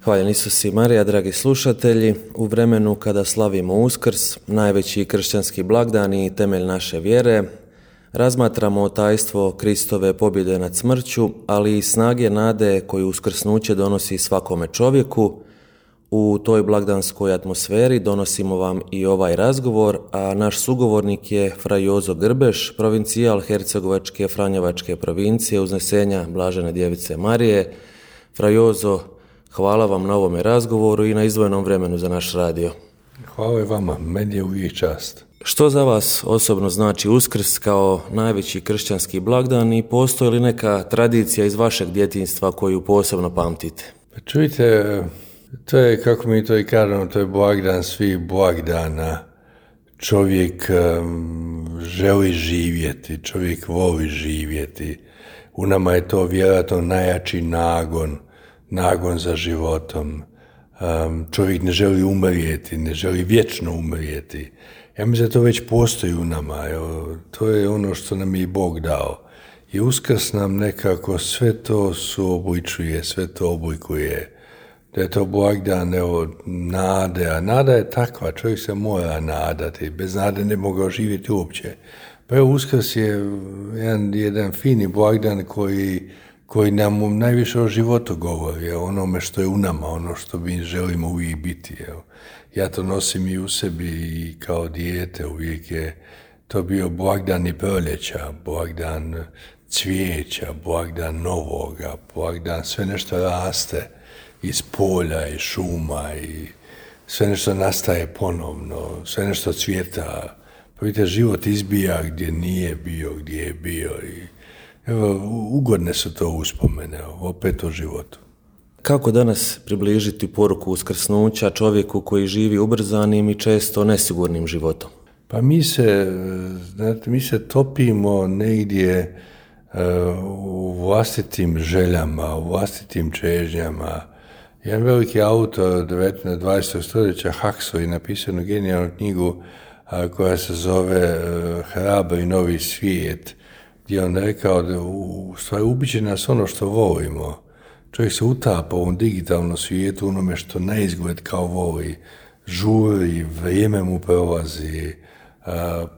Hvaljen Isus i Marija, dragi slušatelji. U vremenu kada slavimo Uskrs, najveći kršćanski blagdan i temelj naše vjere, razmatramo tajstvo Kristove pobjede nad smrću, ali i snage nade koju uskrsnuće donosi svakome čovjeku. U toj blagdanskoj atmosferi donosimo vam i ovaj razgovor, a naš sugovornik je fra Jozo Grbeš, provincijal Hercegovačke Franjevačke provincije Uznesenja Blažene Djevice Marije. Fra Jozo, hvala vam na ovome razgovoru i na izdvojenom vremenu za naš radio. Hvala i vama, meni je uvijek čast. Što za vas osobno znači Uskrs kao najveći kršćanski blagdan i postoji li neka tradicija iz vašeg djetinjstva koju posebno pamtite? Pa čujte, to je, kako mi to i kažemo, to je blagdan svih blagdana. Čovjek želi živjeti, čovjek voli živjeti. U nama je to vjerojatno najjači nagon za životom. Čovjek ne želi umrijeti, ne želi vječno umrijeti. Ja mislim da to već postoji u nama. To je ono što nam je i Bog dao. I Uskrs nam nekako sve to suobličuje, sve to oblikuje. Da je to blagdan nade, a nada je takva, čovjek se mora nadati, bez nade ne mogao živjeti uopće. Pa evo, Uskrs je jedan fini blagdan koji nam najviše o životu govori, o onome što je u nama, ono što mi želimo uvijek biti. Evo. Ja to nosim i u sebi i kao dijete, uvijek je to bio blagdan i proljeća, blagdan cvijeća, blagdan novoga, blagdan sve nešto raste iz polja i šuma i sve nešto nastaje ponovno, sve nešto cvjeta. Pa vidite, život izbija gdje nije bio, gdje je bio i evo, ugodne su to uspomene, opet o životu. Kako danas približiti poruku uskrsnuća čovjeku koji živi ubrzanim i često nesigurnim životom? Pa mi se topimo negdje u vlastitim željama, u vlastitim čežnjama. Jedan veliki autor 20. stoljeća, Huxley, napisao jednu genijalnu knjigu koja se zove Hrabri novi svijet, gdje on rekao da u stvari ubiće nas ono što volimo. Čovjek se utapa u ovom digitalnom svijetu, onome što na izgled kao voli, žuri, vrijeme mu prolazi,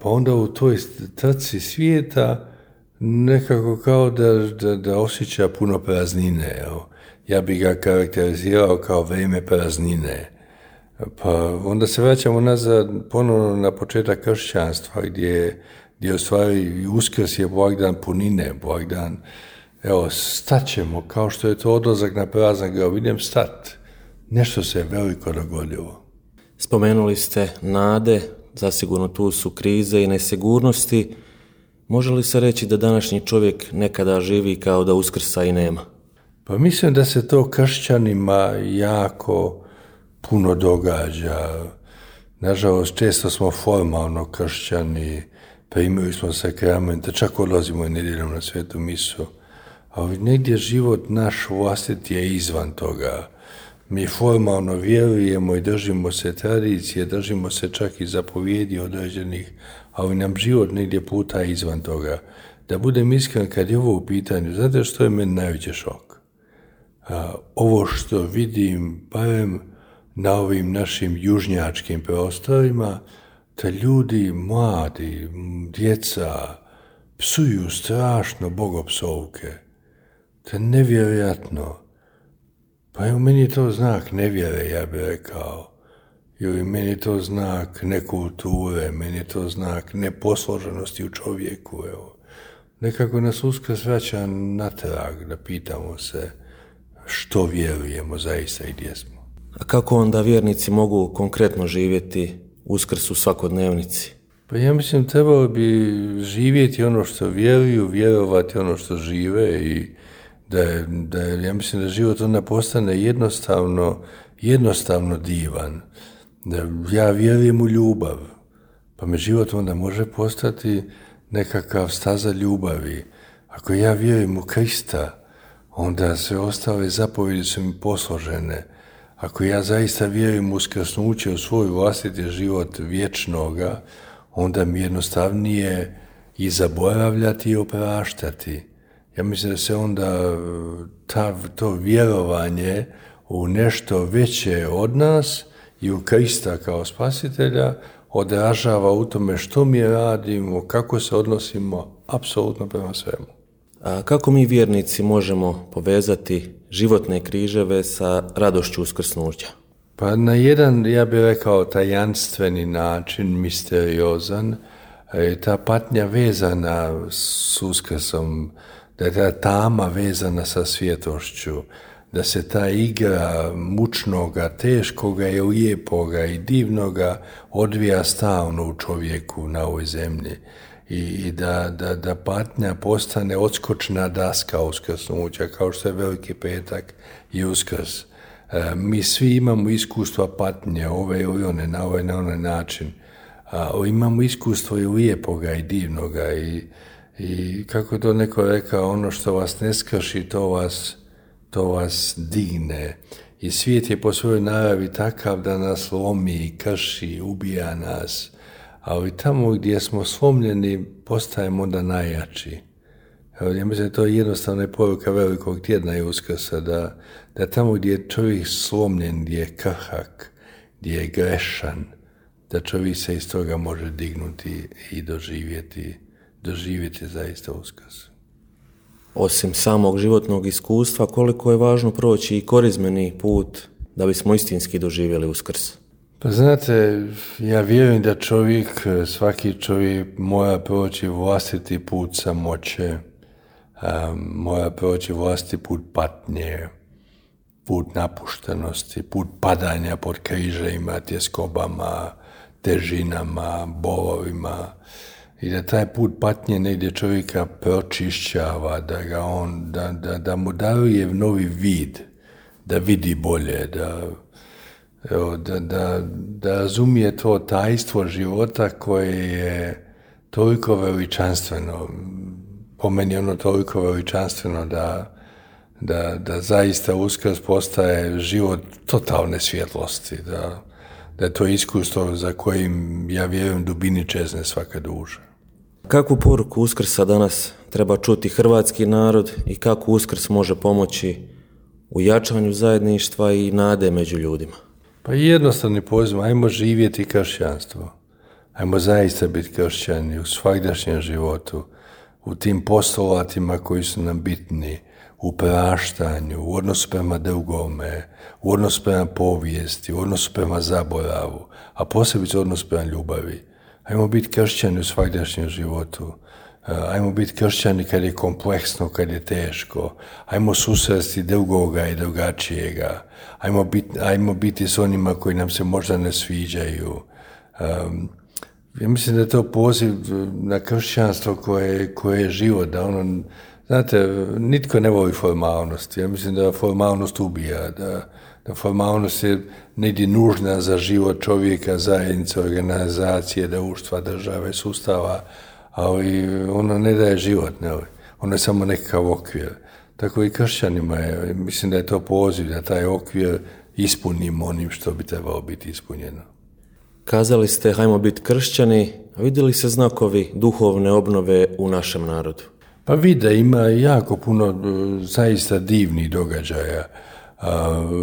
pa onda u toj trci svijeta nekako kao da osjeća puno praznine. Evo. Ja bih ga karakterizirao kao vrijeme praznine. Pa onda se vraćamo nazad ponovno na početak kršćanstva gdje u stvari Uskrs je blagdan punine, blagdan, evo, staćemo, kao što je to odlazak na praznik, evo, idem stat. Nešto se veliko dogodilo. Spomenuli ste nade, zasigurno tu su krize i nesigurnosti. Može li se reći da današnji čovjek nekada živi kao da Uskrsa i nema? Pa mislim da se to kršćanima jako puno događa. Nažalost, često smo formalno kršćani, primili smo sakramente, čak odlazimo i nedjeljom na svetu misu. Ali negdje život naš vlastiti je izvan toga. Mi formalno vjerujemo i držimo se tradicije, držimo se čak i zapovjedi određenih, ali nam život negdje puta izvan toga. Da budem iskren, kad je ovo u pitanju, znate što je meni najveći šok? Ovo što vidim, barem na ovim našim južnjačkim prostorima, da ljudi, mladi, djeca, psuju strašno bogopsovke. To je nevjerojatno. Pa evo, meni je to znak nevjere, ja bih rekao. Ili meni je to znak nekulture, meni je to znak neposloženosti u čovjeku. Evo. Nekako nas Uskrs vraća natrag da pitamo se što vjerujemo zaista i gdje smo. A kako onda vjernici mogu konkretno živjeti Uskrs u svakodnevnici? Pa ja mislim, trebalo bi živjeti ono što vjeruju, vjerovati ono što žive i ja mislim da život onda postane jednostavno divan. Da ja vjerujem u ljubav, pa me život onda može postati nekakav staza ljubavi. Ako ja vjerujem u Krista, onda sve ostale zapovjedi su mi posložene. Ako ja zaista vjerujem u uskrsnuće, u svoj vlastiti život vječnoga, onda mi jednostavnije i zaboravljati i opraštati. Ja mislim da se onda to vjerovanje u nešto veće od nas i u Krista kao spasitelja odražava u tome što mi radimo, kako se odnosimo apsolutno prema svemu. A kako mi vjernici možemo povezati životne križeve sa radošću uskrsnuća? Pa na jedan, ja bih rekao, tajanstveni način, misteriozan, je ta patnja vezana s uskrsom, da je ta tama vezana sa svjetlošću, da se ta igra mučnoga, teškoga i lijepoga i divnoga odvija stalno u čovjeku na ovoj zemlji i da patnja postane odskočna daska uskrsnuća, kao što je Veliki petak i Uskrs. Mi svi imamo iskustva patnje, ove ili one, na ovaj na onaj način. Imamo iskustvo i lijepoga i divnoga i kako je to neko rekao, ono što vas ne skrši, to vas digne. I svijet je po svojoj naravi takav da nas lomi, krši, ubija nas. Ali tamo gdje smo slomljeni, postajemo onda najjači. Ja mislim da to je jednostavna poruka Velikog tjedna i Uskrsa, da tamo gdje je čovjek slomljen, gdje je krhak, gdje je grešan, da čovjek se iz toga može dignuti i doživjeti zaista Uskrs. Osim samog životnog iskustva, koliko je važno proći i korizmeni put da bismo istinski doživjeli Uskrs? Pa znate, ja vjerujem da svaki čovjek mora proći vlastiti put samoće, mora proći vlastiti put patnje, put napuštenosti, put padanja pod križevima, tjeskobama, težinama, bolovima. I da taj put patnje negdje čovjeka pročišćava, da mu daruje novi vid, da vidi bolje, da razumije to tajstvo života koje je toliko veličanstveno, po meni ono toliko veličanstveno da zaista Uskrs postaje život totalne svjetlosti, da je to iskustvo za kojim, ja vjerujem, dubini čezne svaka duša. Kakvu poruku Uskrsa danas treba čuti hrvatski narod i kako Uskrs može pomoći u jačanju zajedništva i nade među ljudima? Pa jednostavni poziv, ajmo živjeti kršćanstvo. Ajmo zaista biti kršćani u svagdašnjem životu, u tim postulatima koji su nam bitni, u praštanju, u odnosu prema drugome, u odnosu prema povijesti, u odnosu prema zaboravu, a posebice u odnosu prema ljubavi. Ajmo biti kršćani u svagdašnjem životu. Ajmo biti kršćani kad je kompleksno, kad je teško. Ajmo susresti drugoga i drugačijega. Ajmo biti s onima koji nam se možda ne sviđaju. Ja mislim da je to poziv na kršćanstvo koje je život, da ono, znate, nitko ne voli formalnosti. Ja mislim da formalnost ubija, da formalnost je negdje nužna za život čovjeka, zajednice, organizacije, društva, države, sustava, ali ono ne daje život, ne, ono je samo nekakav okvir. Tako i kršćanima je, mislim da je to poziv da taj okvir ispunimo onim što bi trebalo biti ispunjeno. Kazali ste, hajmo biti kršćani, a vidjeli se znakovi duhovne obnove u našem narodu? Pa vide, ima jako puno zaista divnih događaja,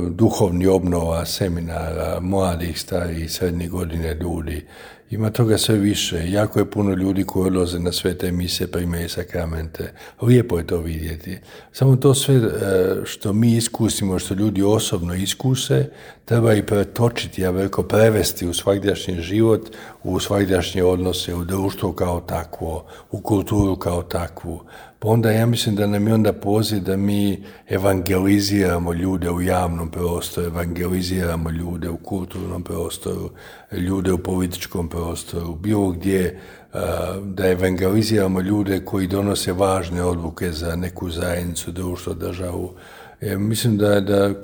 duhovni obnova, seminara, mladih, starih, srednjih godine ljudi. Ima toga sve više. Jako je puno ljudi koji odlaze na svete mise, primaju sakramente. Lijepo je to vidjeti. Samo to sve što mi iskusimo, što ljudi osobno iskuse, treba i pretočiti, ja veliko prevesti u svagdašnji život, u svagdašnje odnose, u društvo kao takvo, u kulturu kao takvu. Pa onda ja mislim da nam je onda poziv da mi evangeliziramo ljude u javnom prostoru, evangeliziramo ljude u kulturnom prostoru, ljude u političkom prostoru, bilo gdje, da evangeliziramo ljude koji donose važne odluke za neku zajednicu, društvo, državu. Mislim da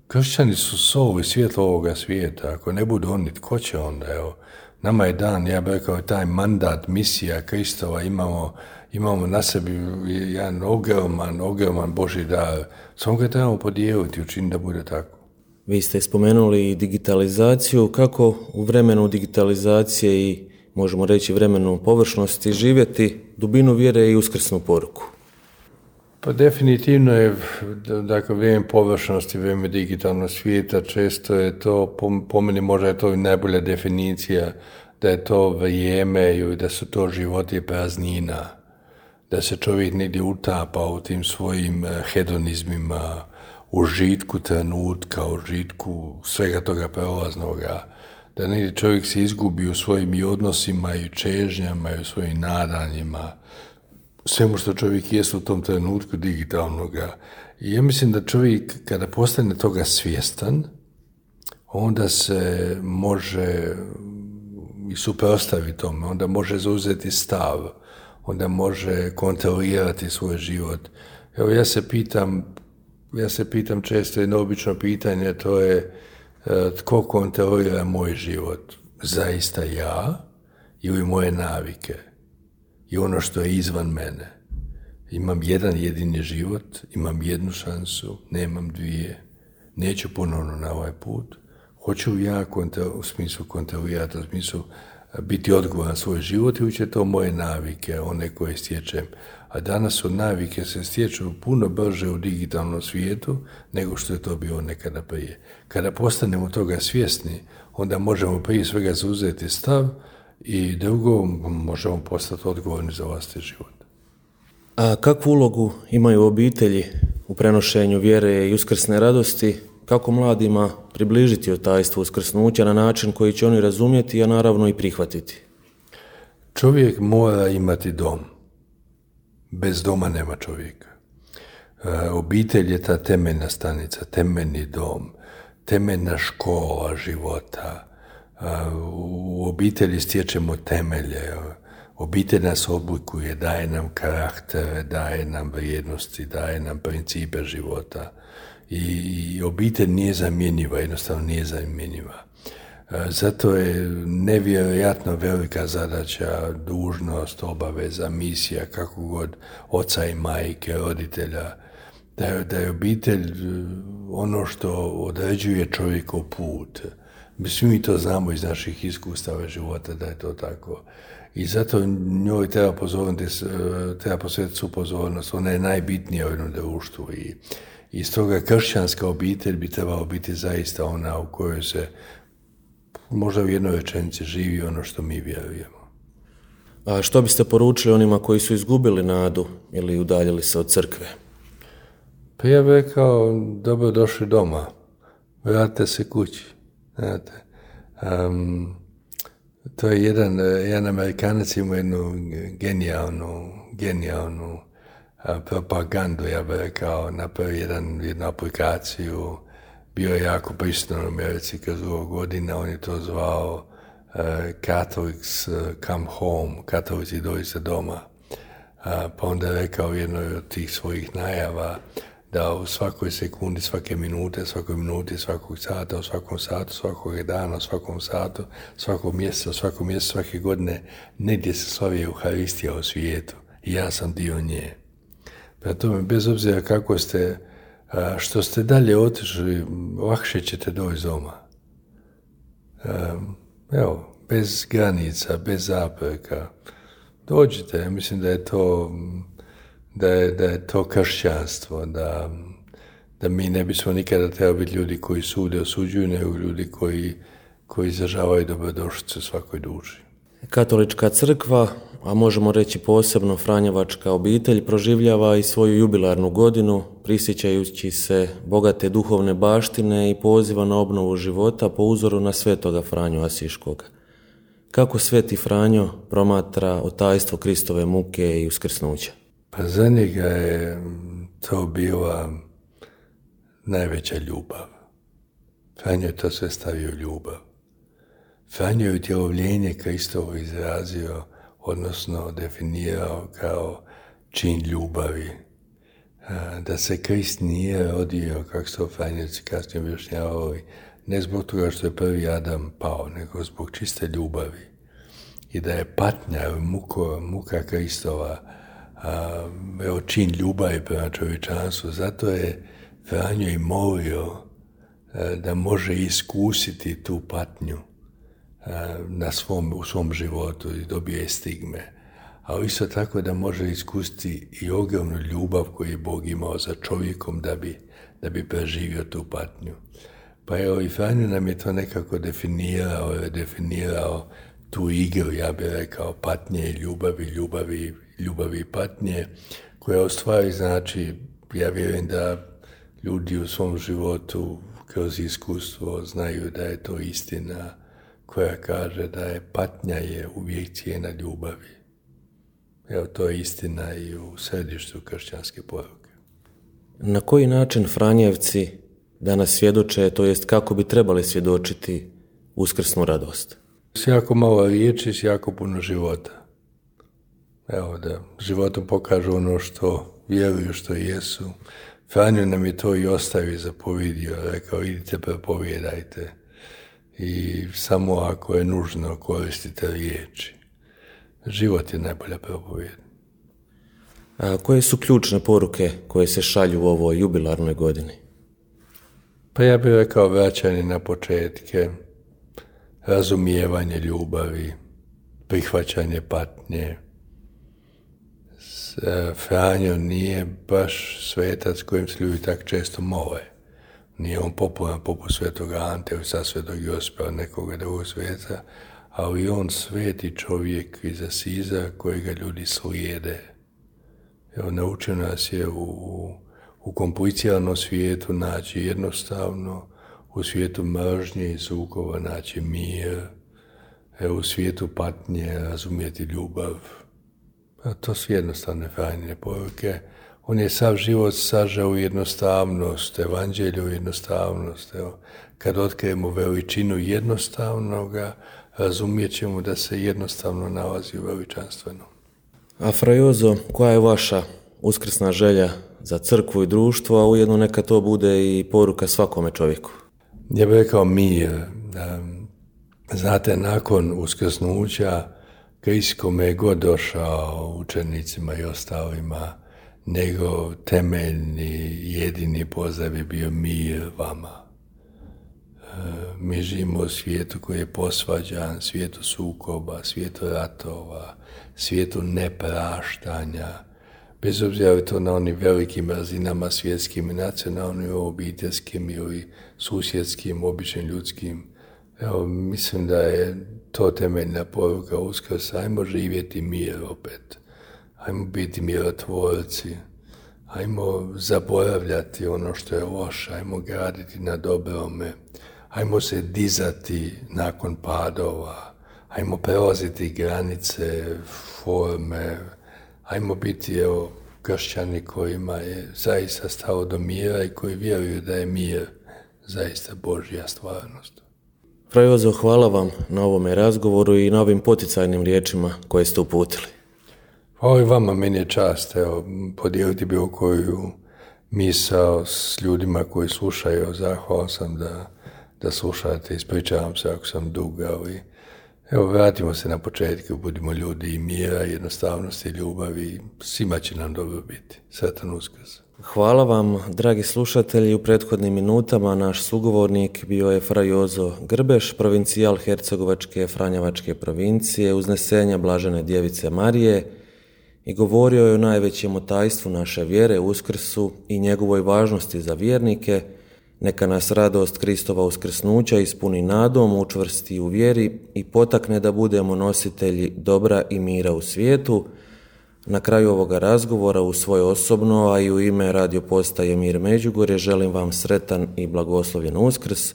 kršćani su sol i svjetlo ovoga svijeta. Ako ne budu oni, tko će onda? Evo, nama je dan, ja bih rekao, taj mandat, misija Kristova, imamo na sebi jedan ogroman Božji dar. Samo ga trebamo podijeliti, učiniti da bude tako. Vi ste spomenuli digitalizaciju. Kako u vremenu digitalizacije i, možemo reći, vremenu površnosti živjeti dubinu vjere i uskrsnu poruku? Pa definitivno je, dakle, vrijeme površnosti, vrijeme digitalnog svijeta, često je to, po meni možda je to i najbolja definicija, da je to vrijeme i da su to životi praznina, da se čovjek negdje utapa u tim svojim hedonizmima, užitku trenutka, užitku svega toga prolaznoga, da negdje čovjek se izgubi u svojim i odnosima i čežnjama i u svojim nadanjima, svemu što čovjek jest u tom trenutku digitalnoga. I ja mislim da čovjek kada postane toga svjestan, onda se može i suprotstaviti tome, onda može zauzeti stav, onda može kontrolirati svoj život. Evo ja se pitam često jedno obično pitanje, to je tko kontrolira moj život? Zaista ja ili moje navike? I ono što je izvan mene. Imam jedan jedini život, imam jednu šansu, nemam dvije, neću ponovno na ovaj put. Hoću ja u smislu kontrolirati, u smislu biti odgovoran svoj život ili će to moje navike, one koje stječem. A danas su navike se stječu puno brže u digitalnom svijetu nego što je to bilo nekada prije. Kada postanemo toga svjesni, onda možemo prije svega zauzeti stav i drugo možemo postati odgovorni za vlastiti život. A kakvu ulogu imaju obitelji u prenošenju vjere i uskrsne radosti? Kako mladima približiti tajstvo uskrsnuća na način koji će oni razumjeti, a naravno i prihvatiti? Čovjek mora imati dom. Bez doma nema čovjeka. Obitelj je ta temeljna stanica, temeljni dom, temeljna škola života. U obitelji stječemo temelje. Obitelj nas oblikuje, daje nam karaktere, daje nam vrijednosti, daje nam principe života. I obitelj nije zamjenjiva, jednostavno nije zamjenjiva. Zato je nevjerojatno velika zadaća, dužnost, obaveza, misija, kako god, oca i majke, roditelja, da je obitelj ono što određuje čovjekov put. Svi mi to znamo iz naših iskustava života da je to tako. I zato njoj treba posvetiti svu pozornost. Ona je najbitnija u jednom društvu. I stoga kršćanska obitelj bi trebala biti zaista ona u kojoj se možda u jednoj rečenici živi ono što mi vjerujemo. A što biste poručili onima koji su izgubili nadu ili udaljili se od crkve? Pa ja bih rekao, dobro došli doma, vratite se kući. Znate, to je jedan Amerikanac ima jednu genijalnu propagandu, ja bih rekao, napravio jednu aplikaciju, bio je jako prisutan u Americi kroz dugo godina, on je to zvao Catholics Come Home, katolici dođite doma. Pa onda je rekao jednoj od tih svojih najava da u svakoj sekundi, svake minute, svakoj minuti, svakog sata, u svakom satu, svakog dana, u svakom satu, svakog mjeseca, svake godine, negdje se slavi Euharistija u svijetu i ja sam dio nje. Prema tome, bez obzira kako ste, što ste dalje otišli, lakše ćete doći doma. Evo, bez granica, bez zapreka. Dođite, ja mislim da je to kršćanstvo, da mi ne bismo nikada trebali biti ljudi koji sude, osuđuju, nego ljudi koji izražavaju dobrodošlicu svakoj duši. Katolička crkva, a možemo reći posebno Franjevačka obitelj, proživljava i svoju jubilarnu godinu, prisjećajući se bogate duhovne baštine i poziva na obnovu života po uzoru na svetoga Franju Asiškoga. Kako sveti Franjo promatra otajstvo Kristove muke i uskrsnuća? Pa za njega je to bila najveća ljubav. Franjo je to sve stavio ljubav. Franjo je utjelovljenje Kristovo izrazio, odnosno definirao kao čin ljubavi. Da se Krist nije rodio, kako su Franjevci kasnije objašnjavali, ne zbog toga što je prvi Adam pao, nego zbog čiste ljubavi. I da je patnja, muka Kristova, čin ljubavi prema čovječanstvu. Zato je Franjo i molio da može iskusiti tu patnju u svom životu i dobije stigme. a isto tako da može iskusiti i ogromnu ljubav koju je Bog imao za čovjekom da bi preživio tu patnju. Pa evo, i Franjo nam je to nekako definirao tu igru, ja bih rekao, patnje i ljubavi i patnje, koja u stvari znači, ja vjerujem da ljudi u svom životu kroz iskustvo znaju da je to istina koja kaže da je patnja je uvijek cijena ljubavi. Evo, to je istina i u središtu kršćanske poruke. Na koji način Franjevci danas svjedoče, to jest kako bi trebali svjedočiti uskrsnu radost? S jako malo riječi, s jako puno života. Evo, da životom pokažu ono što vjeruju, što jesu. Franjo nam je to i ostavio, zapovjedio, rekao, idite, propovijedajte i samo ako je nužno koristite riječi. Život je najbolja propovijed. A koje su ključne poruke koje se šalju u ovoj jubilarnoj godini? Pa ja bih rekao vraćanje na početke, razumijevanje ljubavi, prihvaćanje patnje. Franjo nije baš svetac kojim se ljudi tak često mole. Nije on popularan poput svetog Ante ili sa svetog Josipa, nekoga drugog sveca, ali on sveti čovjek iz Asiza kojega ljudi slijede. Evo, naučio nas je u kompliciranom svijetu naći jednostavno, u svijetu mržnje i sukoba naći mir, evo, u svijetu patnje razumjeti ljubav. A to su jednostavne Franjine poruke. On je sav život sažao u jednostavnost, evanđelju u jednostavnost. Evo, kad otkrijemo veličinu jednostavnoga, razumijet ćemo da se jednostavno nalazi u veličanstvenom. A Fra Jozo, koja je vaša uskrsna želja za crkvu i društvo, a ujedno neka to bude i poruka svakome čovjeku? Ja bih rekao mir. Znate, nakon uskrsnuća, Krist kome je god došao, učenicima i ostalima, njegov temeljni, jedini pozdrav je bio mir vama. Mi živimo u svijetu koji je posvađan, svijetu sukoba, svijetu ratova, svijetu nepraštanja, bez obzira je to na onim velikim razinama svjetskim i nacionalnim, obiteljskim ili susjedskim, običnim ljudskim. Evo, mislim da je to temeljna poruka Uskrsa. Ajmo živjeti mir opet. Ajmo biti mirotvorci. Ajmo zaboravljati ono što je loše. Ajmo graditi na dobrome. Ajmo se dizati nakon padova. Ajmo prelaziti granice, forme. Ajmo biti, evo, kršćani kojima je zaista stalo do mira i koji vjeruju da je mir zaista Božja stvarnost. Fra Jozo, hvala vam na ovome razgovoru i na ovim poticajnim riječima koje ste uputili. Hvala i vama, meni je čast, evo, podijeliti bilo koju misao s ljudima koji slušaju. Zahvalan sam da slušate, ispričavam se ako sam dug, ali evo, vratimo se na početku, budimo ljudi i mira, jednostavnosti i ljubavi, svima će nam dobro biti. Sretan Uskrs. Hvala vam, dragi slušatelji. U prethodnim minutama naš sugovornik bio je Fra Jozo Grbeš, provincijal Hercegovačke Franjevačke provincije, uznesenja Blažene Djevice Marije, i govorio je o najvećem tajstvu naše vjere, Uskrsu, i njegovoj važnosti za vjernike. Neka nas radost Kristova uskrsnuća ispuni nadom, učvrsti u vjeri i potakne da budemo nositelji dobra i mira u svijetu. Na kraju ovoga razgovora, u svoje osobno, a i u ime radio postaje Mir Međugorje, želim vam sretan i blagoslovljen Uskrs.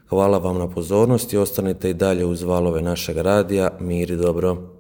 Hvala vam na pozornosti, ostanite i dalje uz valove našeg radija. Mir i dobro.